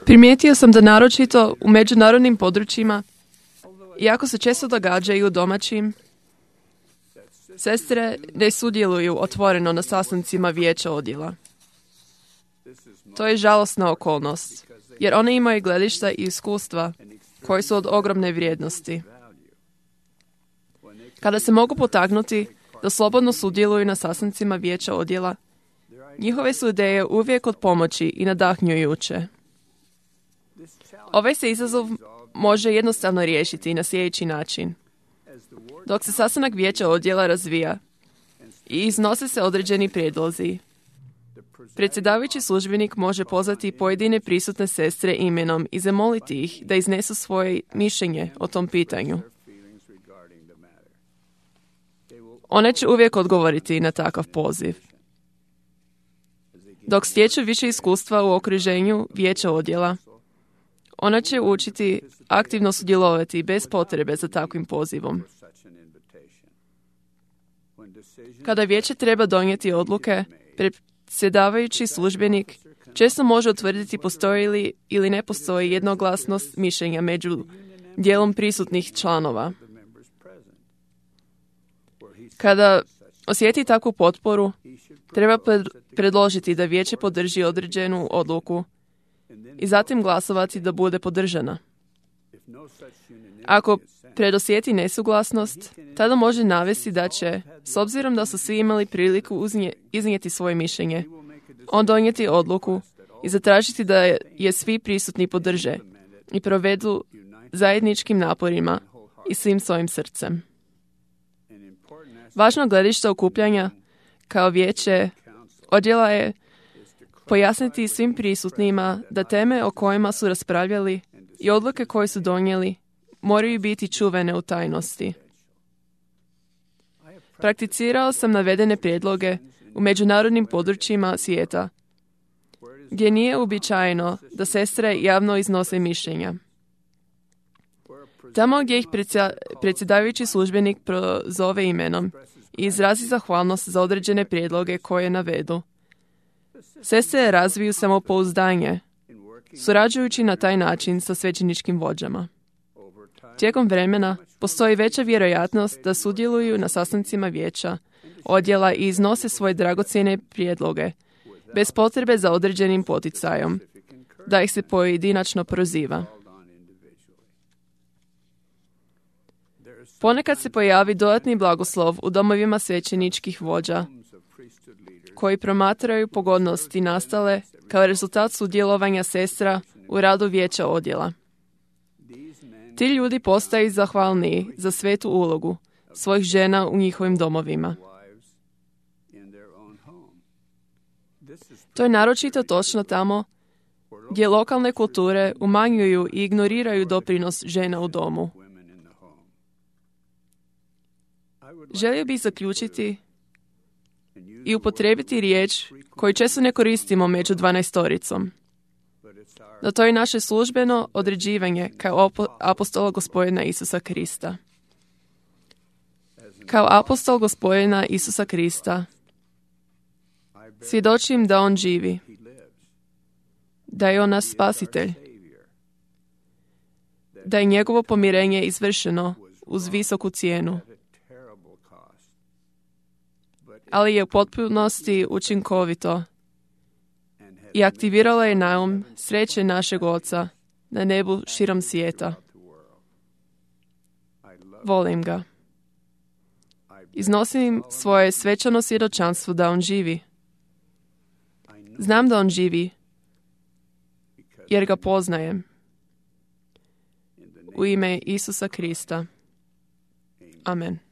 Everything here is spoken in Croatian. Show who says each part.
Speaker 1: Primijetio sam da naročito u međunarodnim područjima, iako se često događaju domaćim, sestre ne sudjeluju otvoreno na sastancima vijeća odjela. To je žalosna okolnost, jer one imaju gledišta i iskustva koji su od ogromne vrijednosti. Kada se mogu potaknuti da slobodno sudjeluju na sastancima vijeća odjela, njihove su ideje uvijek od pomoći i nadahnjujuće. Ovaj se izazov može jednostavno riješiti na sljedeći način. Dok se sastanak vijeća odjela razvija i iznose se određeni prijedlozi, predsjedavajući službenik može pozvati pojedine prisutne sestre imenom i zamoliti ih da iznesu svoje mišljenje o tom pitanju. One će uvijek odgovoriti na takav poziv. Dok stječu više iskustva u okruženju vijeća odjela, ona će učiti aktivno sudjelovati bez potrebe za takvim pozivom. Kada vijeće treba donijeti odluke, predsjedavajući službenik često može utvrditi postoji li ili ne postoji jednoglasnost mišljenja među dijelom prisutnih članova. Kada osjeti takvu potporu, treba predložiti da vijeće podrži određenu odluku i zatim glasovati da bude podržana. Ako predosjeti nesuglasnost, tada može navesti da će, s obzirom da su svi imali priliku iznijeti svoje mišljenje, on donijeti odluku i zatražiti da je svi prisutni podrže i provedu zajedničkim naporima i svim svojim srcem. Važno gledište okupljanja kao vijeće odjela je pojasniti svim prisutnima da teme o kojima su raspravljali i odluke koje su donijeli moraju biti čuvene u tajnosti. Prakticirao sam navedene prijedloge u međunarodnim područjima svijeta, gdje nije uobičajeno da sestre javno iznose mišljenja. Tamo gdje ih predsjedavajući službenik prozove imenom i izrazi zahvalnost za određene prijedloge koje navedu, sestre razviju samopouzdanje, surađujući na taj način sa svećeničkim vođama. Tijekom vremena postoji veća vjerojatnost da sudjeluju na sastancima vijeća odjela i iznose svoje dragocjene prijedloge, bez potrebe za određenim poticajom, da ih se pojedinačno proziva. Ponekad se pojavi dodatni blagoslov u domovima svećeničkih vođa, koji promatraju pogodnosti nastale kao rezultat sudjelovanja sestra u radu vijeća odjela. Ti ljudi postaju zahvalniji za svetu ulogu svojih žena u njihovim domovima. To je naročito točno tamo gdje lokalne kulture umanjuju i ignoriraju doprinos žena u domu. Želio bih zaključiti i upotrijebiti riječ koju često ne koristimo među 12-toricom. No to je naše službeno određivanje kao apostola Gospodina Isusa Krista. Kao apostol Gospodina Isusa Krista svjedočim da on živi, da je on naš spasitelj, da je njegovo pomirenje izvršeno uz visoku cijenu, ali je u potpunosti učinkovito i aktivirala je naum sreće našeg Oca na nebu širom svijeta. Volim ga. Iznosim svoje svečano svjedočanstvo da on živi. Znam da on živi, jer ga poznajem. U ime Isusa Krista. Amen.